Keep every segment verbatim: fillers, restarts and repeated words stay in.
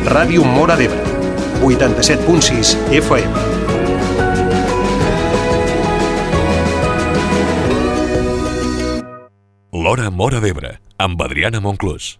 Ràdio Móra d'Ebre, vuitanta-set punt sis F M. L'Hora Móra d'Ebre, amb Adriana Monclús.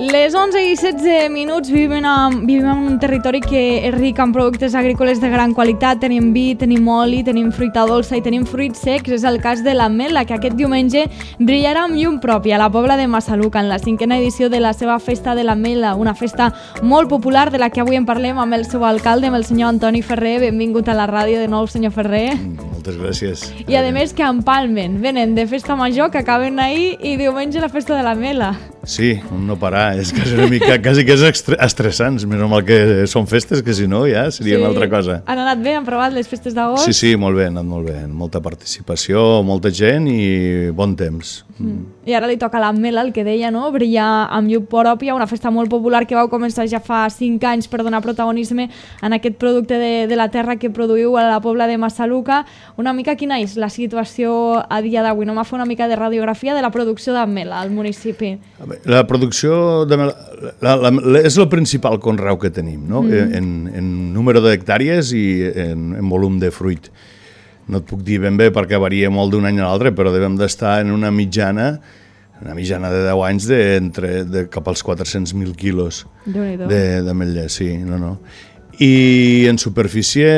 Les onze i setze minuts vivim en, vivim en un territori que és ric en productes agrícoles de gran qualitat. Tenim vi, tenim oli, tenim fruita dolça i tenim fruits secs. És el cas de l'ametla, que aquest diumenge brillarà amb llum pròpia a la Pobla de Massaluca en la cinquena edició de la seva Festa de l'Ametla, una festa molt popular de la que avui en parlem amb el seu alcalde, amb el senyor Antoni Ferrer. Benvingut a la ràdio de nou, senyor Ferrer. Moltes gràcies. I a més que empalmen, venen de festa major, que acaben ahir, i diumenge la Festa de l'Ametla. Sí, un no parar, és quasi una mica, quasi que és estressant, més normal que són festes, que si no ja seria sí. una altra cosa. Han anat bé, han provat les festes d'agost? Sí, sí, molt bé, han anat molt bé, molta participació, molta gent i bon temps. Mm. I ara li toca l'ametla, el que deia, no? Brillar amb llum pròpia, una festa molt popular que vau començar ja fa cinc anys per donar protagonisme en aquest producte de, de la terra que produïu a la Pobla de Massaluca. Una mica quina és la situació a dia d'avui? No m'ha fet una mica de radiografia de la producció d'ametla al municipi. La producció de la, la, la, és el principal conreu que tenim, no? Mm. en, en número d'hectàrees i en, en volum de fruit. No et puc dir ben bé perquè varia molt d'un any a l'altre, però devem d'estar en una mitjana, una mitjana de deu anys de, entre, de cap als quatre-cents mil quilos d'ametller, sí, no, no. I en superfície,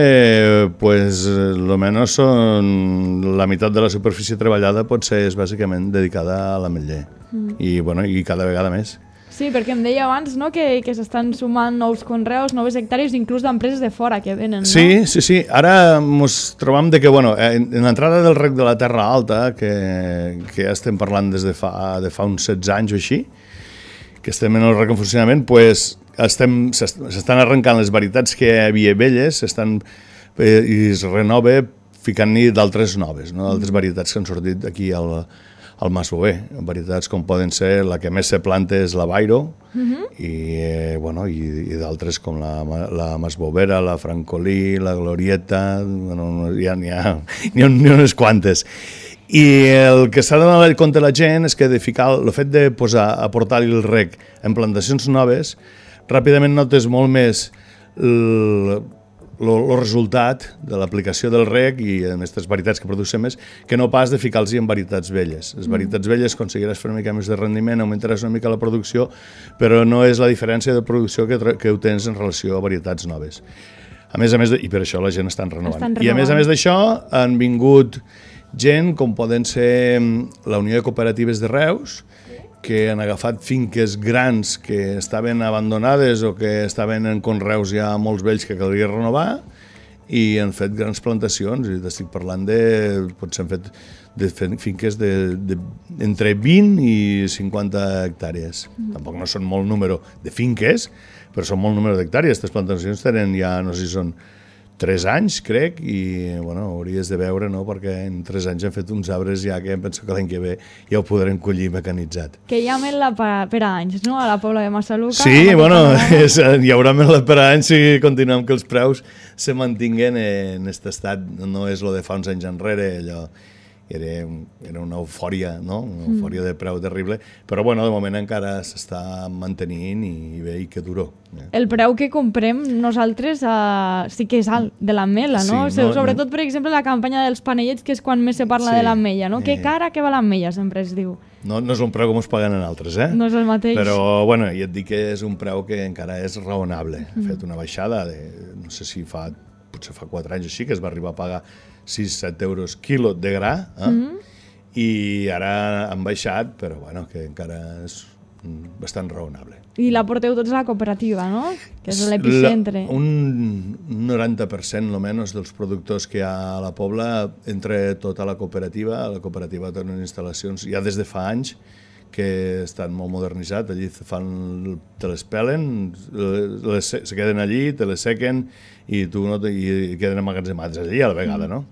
pues, lo menos son, la meitat de la superfície treballada pot ser és bàsicament dedicada a l'ametller. Mm. I, bueno, i cada vegada més. Sí, perquè em deia abans, no?, que, que s'estan sumant nous conreus, noves hectàrees, inclús d'empreses de fora que venen, no? Sí, sí, sí. Ara ens trobam de que, bueno, en, en l'entrada del rec de la Terra Alta, que, que ja estem parlant des de fa, de fa uns setze anys o així, que estem en el rec en funcionament, pues, estem, s'estan arrencant les varietats que hi havia velles, s'estan, eh, i es renova ficant-hi d'altres noves, no? D'altres varietats que han sortit aquí al, al Mas Bover, varietats com poden ser, la que més se planta és la Bairo, uh-huh. i, eh, bueno, i, i d'altres com la, la Mas Bovera, la Francolí, la Glorieta, bueno, hi ha, n'hi ha, n'hi ha, n'hi ha unes quantes. I el que s'ha de donar compte la gent és que de ficar, el fet de posar, aportar-hi el rec en plantacions noves, ràpidament notes molt més el, el resultat de l'aplicació del rec i aquestes varietats que producem més, que no pas de ficar-los en varietats velles. Les varietats velles aconseguiràs fer una mica més de rendiment, augmentaràs una mica la producció, però no és la diferència de producció que, que ho tens en relació a varietats noves. A més a més, de, i per això la gent està renovant. Estan renovant. I a més a més d'això han vingut gent com poden ser la Unió de Cooperatives de Reus, que han agafat finques grans que estaven abandonades o que estaven en conreus ja molts vells que caldria renovar i han fet grans plantacions, i estic parlant de, potser han fet de finques de, de, entre vint i cinquanta hectàrees. Mm. Tampoc no són molt número de finques, però són molt número d'hectàrees. Aquestes plantacions tenen ja, no sé si són tres anys, crec, i bueno, hauries de veure, no?, perquè en tres anys hem fet uns arbres ja que em penso que l'any que ve ja ho podrem collir mecanitzat. Que hi ha ametla per, per anys, no?, a la Pobla de Massaluca. Sí, bueno, és, hi haurà ametla per anys si continuem que els preus se mantinguen en aquest estat. No és lo de fa uns anys enrere, allò era, era una eufòria, no?, una eufòria mm. de preu terrible, però bueno, de moment encara s'està mantenint i bé, i que duró. El preu que comprem nosaltres uh, sí que és alt de l'ametla, no? Sí, no? Sobretot, no. Per exemple, la campanya dels panellets, que és quan més se parla sí. de l'ametlla, no? Eh. Que cara que va l'ametlla, sempre es diu. No, no és un preu com es paguen en altres, eh? No és el mateix. Però, bueno, ja et dic que és un preu que encara és raonable. Mm. He fet una baixada de, no sé si fa, potser fa quatre anys així, que es va arribar a pagar sis a set euros quilo de gra, eh? Mm. I ara han baixat, però bueno, que encara és bastant raonable. I la porteu tots a la cooperativa, no? Que és l'epicentre. Un noranta per cent, almenys, dels productors que hi ha a la Pobla entre tota la cooperativa. La cooperativa té unes instal·lacions ja des de fa anys que estan molt modernitzats, allí fan, te les pelen, les, se queden allí, te les sequen i tu no te, i queden emmagatzemats allí a la vegada, no?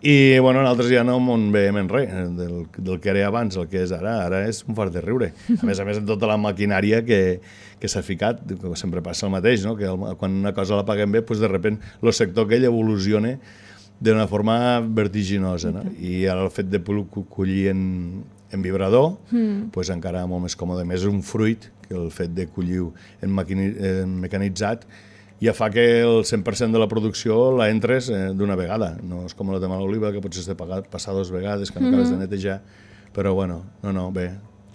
I, bueno, nosaltres ja no en veiem en res del, del que era abans, el que és ara. Ara és un fart de riure. A més a més, en tota la maquinària que, que s'ha ficat, sempre passa el mateix, no? Que el, quan una cosa la paguem bé, doncs de sobte el sector aquell evoluciona d'una forma vertiginosa, no? I ara el fet de collir en, en vibrador, mm. doncs encara molt més còmode. A més, un fruit, que el fet de collir en, maquini, en mecanitzat, ja fa que el cent per cent de la producció la entres eh, d'una vegada. No és com la de l'oliva, que potser has de pagar, passar dues vegades, que no acabes mm-hmm. de netejar. Però, bueno, no, no, bé.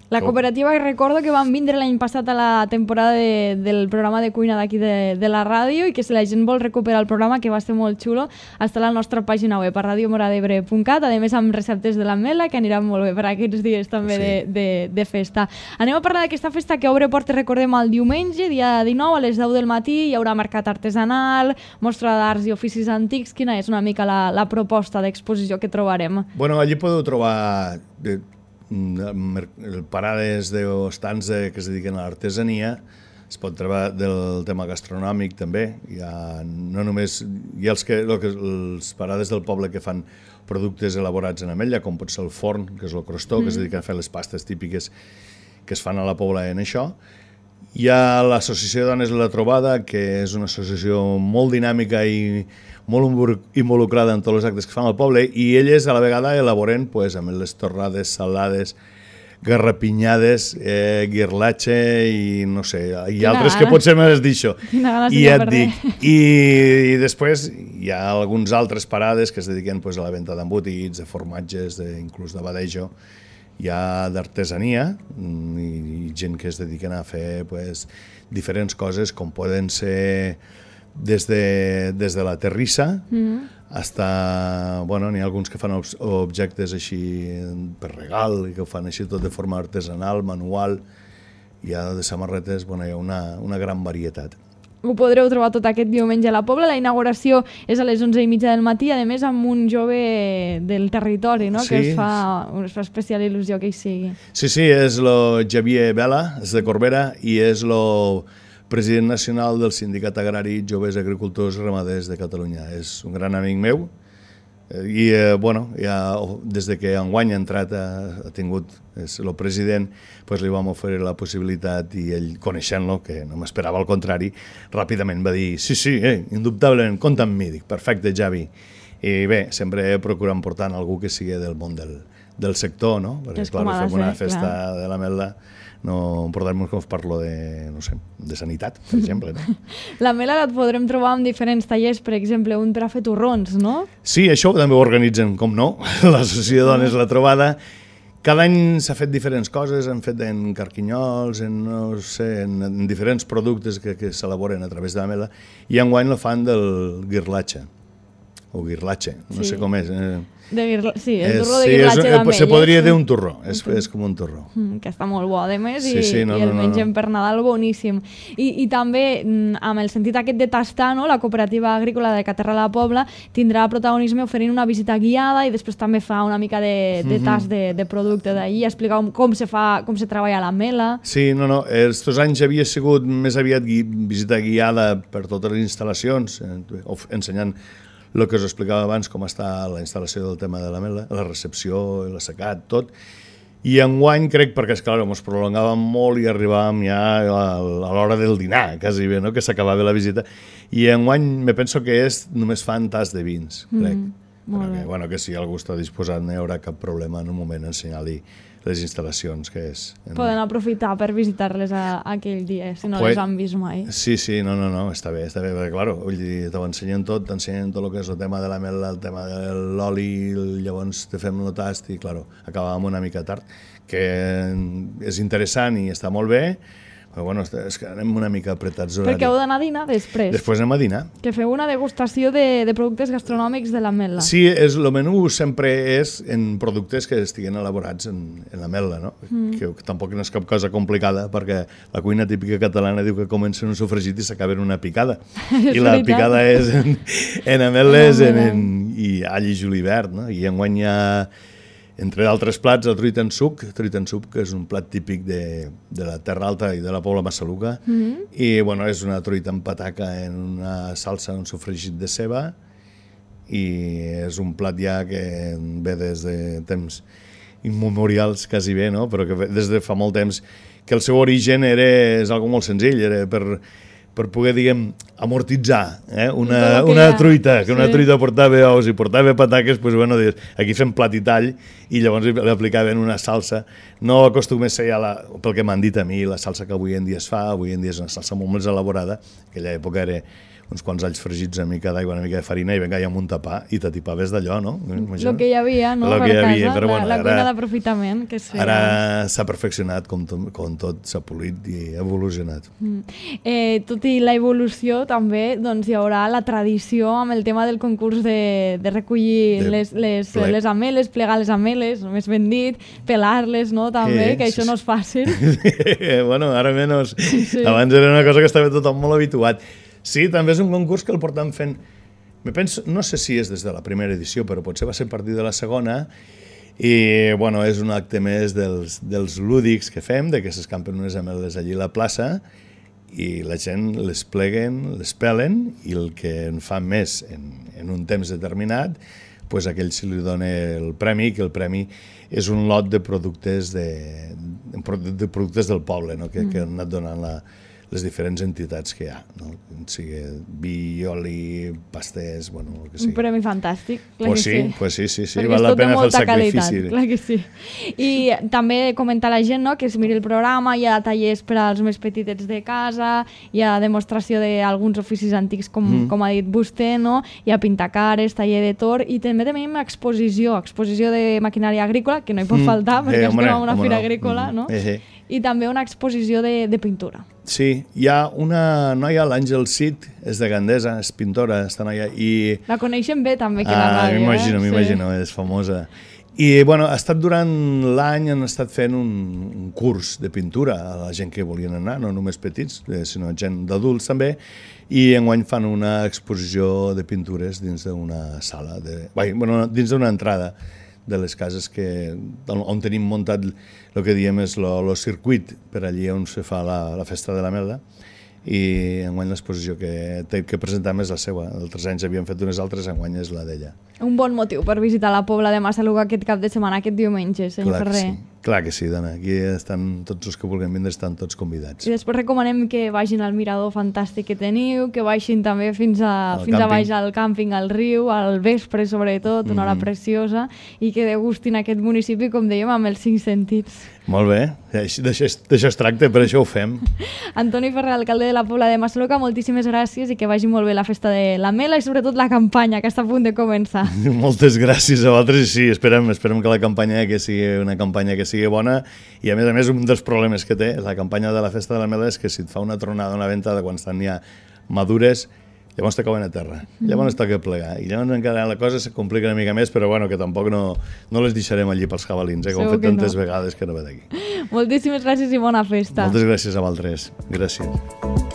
La cooperativa, recordo que van vindre l'any passat a la temporada de, del programa de cuina d'aquí de, de la ràdio i que si la gent vol recuperar el programa, que va ser molt xulo, està a la nostra pàgina web, a radio moradebre punt cat, a més amb receptes de l'ametla, que aniran molt bé per aquests dies també sí. de, de, de festa. Anem a parlar d'aquesta festa que obre portes, recordem, el diumenge, dia dinou, a les deu del matí, hi haurà mercat artesanal, mostra d'arts i oficis antics. Quina és una mica la, la proposta d'exposició que trobarem? Bueno, allí podeu trobar de, parades o estants de, que es dediquen a l'artesania. Es pot trobar del tema gastronòmic també. Hi ha, no només, hi ha els, que, que, els parades del poble que fan productes elaborats en ametlla, com pot ser el forn, que és el crostó, mm. que es dediquen a fer les pastes típiques que es fan a la Pobla en això. Hi ha l'Associació de Dones de la Trobada, que és una associació molt dinàmica i molt involucrada en tots els actes que fan al poble, i elles a la vegada elaboren pues, amb les torrades, salades, garrapinyades, eh, guirlatxe i no sé, i Quina altres gana. Que potser m'has dit això. I ja et dic. I, I després hi ha alguns altres parades que es dediquen pues, a la venda d'embotits, de formatges, de, inclús de badejo. Hi ha d'artesania i, i gent que es dediquen a fer pues, diferents coses, com poden ser des de, des de la terrissa mm. hasta, bueno, n'hi ha alguns que fan ob objectes així per regal i que ho fan així tot de forma artesanal, manual. Hi ha de samarretes, bueno, hi ha una, una gran varietat. Ho podreu trobar tot aquest diumenge a la Pobla. La inauguració és a les onze i mitja del matí, a més amb un jove del territori, no? Sí. Que es fa, es fa especial il·lusió que hi sigui. Sí, sí, és el Xavier Vela, és de Corbera, i és el president nacional del Sindicat Agrari Joves Agricultors Ramaders de Catalunya. És un gran amic meu i, eh, bueno, ja, des de que enguany ha entrat, ha, ha tingut, és el president, pues li vam oferir la possibilitat i ell, coneixent-lo, que no m'esperava al contrari, ràpidament va dir, sí, sí, eh, indubtablement, compta amb mi. Dic, perfecte, Javi. I bé, sempre procurant portar algú que sigui del món del, del sector, no? Perquè, clar, fem una festa clar. de l'ametla, no portar-nos com parlo de, no sé, de sanitat, per exemple. No? L'ametla la podrem trobar en diferents tallers, per exemple, un per a fer torrons, no? Sí, això també ho organitzen, com no, l'Associació de Dones La Trobada. Cada any s'ha fet diferents coses, han fet en carquinyols, en, no sé, en, en diferents productes que, que s'elaboren a través de l'ametla, i enguany la fan del guirlatxe, o guirlatxe, no sí. sé com és. Eh? De guirla... Sí, el turró de sí, guirlatxe d'ametlla. Se podria dir un turró, és, és com un turró. Mm, que està molt bo, a més, sí, sí, i, no, i el no, mengem no. per Nadal boníssim. I, i també, amb el sentit aquest de tastar, no? La cooperativa agrícola de Caterra la Pobla tindrà protagonisme oferint una visita guiada i després també fa una mica de, de tast de, de producte d'ahir, explicar com se fa, com se treballa l'ametla. Sí, no, no, estos anys havia sigut més aviat gui, visita guiada per totes les instal·lacions, ensenyant el que us explicava abans, com està la instal·lació del tema de l'ametla, la recepció, l'assecat, tot. I enguany crec, perquè és clar, ens prolongàvem molt i arribàvem ja a, a l'hora del dinar, quasi bé, no? Que s'acabava la visita. I enguany me penso que és, només fan tas de vins, crec. Mm, molt bé. Que, bueno, que si algú està disposat no hi haurà cap problema en un moment ensenyar-li les instal·lacions que és. Poden aprofitar per visitar-les aquell dia, si no pues, les han vist mai. Sí, sí, no, no, no, està bé, està bé, perquè, clar, t'ho ensenyen tot, t'ensenyen tot el que és el tema de l'ametla, el tema de l'oli, llavors te fem el tast i, clar, acabàvem una mica tard, que és interessant i està molt bé, però, bueno, és que anem una mica apretats. Perquè heu d'anar a dinar després. Després anem a dinar. Que feu una degustació de, de productes gastronòmics de l'ametla. Sí, és, el menú sempre és en productes que estiguen elaborats en, en l'ametla, no? Mm. Que, que tampoc no és cap cosa complicada, perquè la cuina típica catalana diu que comença en un sofregit i s'acaba en una picada. I la picada és en, en ametlles en, en, i all i julivert, no? I enguany hi ha Entre d'altres plats, el truita en suc, truita en suc, que és un plat típic de, de la Terra Alta i de la Pobla Massaluca, mm-hmm. i bueno, és una truita amb pataca en una salsa, un sofregit de ceba, i és un plat ja que ve des de temps immemorials, quasi bé, no? Però que ve des de fa molt temps, que el seu origen era, és algo molt senzill, era per... per poder, diguem, amortitzar eh? una, una truita, que sí. Una truita portava ous i portava pataques, doncs, bueno, aquí fem plat i tall, i llavors li aplicaven una salsa. No acostuma a ser, ja la, pel que m'han dit a mi, la salsa que avui en dia es fa, avui en dia és una salsa molt més elaborada, en aquella època era uns quants alls fregits, una mica d'aigua, una mica de farina, i vinga, ja amb un tapar, i t'atipaves d'allò, no? El que hi havia, no? Lo per que hi casa, havia, però, bueno, la, la ara, cuina d'aprofitament que es feia. Ara s'ha perfeccionat, com, to, com tot s'ha polit i ha evolucionat. Mm. Eh, tot i la evolució, també doncs, hi haurà la tradició amb el tema del concurs de, de recollir de les, les, les ameles, plegar les ameles, més ben dit, pelar-les, no? També, eh, que això sí, no és fàcil. Bueno, ara menys. Sí. Abans era una cosa que estava tothom molt habituat. Sí, també és un concurs que el portem fent, me penso, no sé si és des de la primera edició, però potser va ser a partir de la segona, i bueno, és un acte més dels, dels lúdics que fem, de que s'escampen unes ameles allí a la plaça, i la gent les pleguen, les pelen, i el que en fa més en, en un temps determinat, pues a aquell se li dona el premi, que el premi és un lot de productes, de, de productes del poble, no? que, mm. que han anat donant la, les diferents entitats que hi ha, no? Sigui vi, oli, pastès, bueno, el que sigui. Un premi fantàstic, clar pues que sí. sí. Pues sí, sí, sí, perquè val la pena fer el sacrifici. Qualitat, clar que sí. I també comentar a la gent, no?, que es miri el programa, hi ha tallers per als més petitets de casa, hi ha demostració d'alguns oficis antics, com, mm. com ha dit vostè, no? Hi ha pintacares, taller de tor, i també tenim exposició, exposició de maquinària agrícola, que no hi pot mm. faltar, perquè eh, estem en una fira no. agrícola, mm. no? Eh, eh. I també una exposició de, de pintura. Sí, hi ha una noia, l'Àngel Cid, és de Gandesa, és pintora, està noia, i... La coneixen bé també, que ah, la ràdio, m'imagino, eh? m'imagino, sí. És famosa. I, bueno, ha estat durant l'any, han estat fent un, un curs de pintura a la gent que volien anar, no només petits, sinó gent d'adults també, i enguany fan una exposició de pintures dins d'una sala, de, bé, bueno, dins d'una entrada de les cases que, on tenim muntat el que diem és el circuit per allí on se fa la, la festa de la merda, i enguany l'exposició que, que presentem és la seva. Altres anys havíem fet unes altres, enguany és la d'ella. Un bon motiu per visitar la Pobla de Massaluca aquest cap de setmana, aquest diumenge, senyor Clar Ferrer. Que sí. Clar que sí, dona. Aquí estan tots els que vulguin vindre, estan tots convidats. I després recomanem que vagin al mirador fantàstic que teniu, que baixin també fins a, fins a baix al càmping, al riu, al vespre sobretot, una hora mm. preciosa, i que degustin aquest municipi, com dèiem, amb els cinc sentits. Molt bé, d'això es tracta, per això ho fem. Antoni Ferrer, alcalde de la Pobla de Massaluca, moltíssimes gràcies i que vagi molt bé la festa de la Mela i sobretot la campanya, que està a punt de començar. Moltes gràcies a vosaltres i sí, esperem, esperem que la campanya que sigui una campanya que sigui bona, i a més a més un dels problemes que té la campanya de la festa de la Mela és que si et fa una tronada, una ventada quan estan ja madures, llavors te cauen a terra, llavors mm. toca plegar, i llavors encara la cosa se complica una mica més, però bueno, que tampoc no, no les deixarem allí pels jabalins, eh, com hem fet tantes no. vegades que no ve d'aquí. Moltíssimes gràcies i bona festa. Moltes gràcies a vosaltres. Gràcies.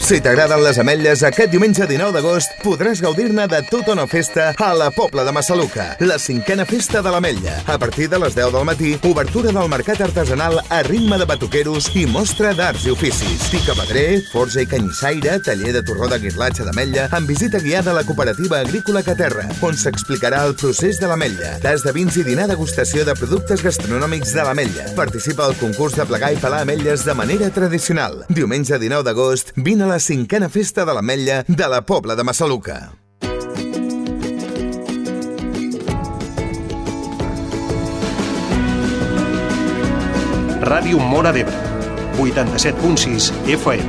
Si t'agraden les ametlles, aquest diumenge dinou d'agost podràs gaudir-ne de tota una festa a la Pobla de Massaluca, la cinquena festa de l'ametlla. A partir de les deu del matí, obertura del mercat artesanal a ritme de batuqueros i mostra d'arts i oficis. Picapedrer, forja i canyissaire, taller de torró de guirlatge d'ametlla, amb visita guiada a la cooperativa agrícola Caterra, on s'explicarà el procés de l'ametlla, tas de vins i dinar degustació de productes gastronòmics de l'ametlla. Participa al concurs de plegar i pelar ametlles de manera tradicional. Diumenge dinou d'agost, vine a la cinquena festa de l'ametlla de la Pobla de Massaluca. Ràdio Móra d'Ebre, vuitanta-set punt sis F M.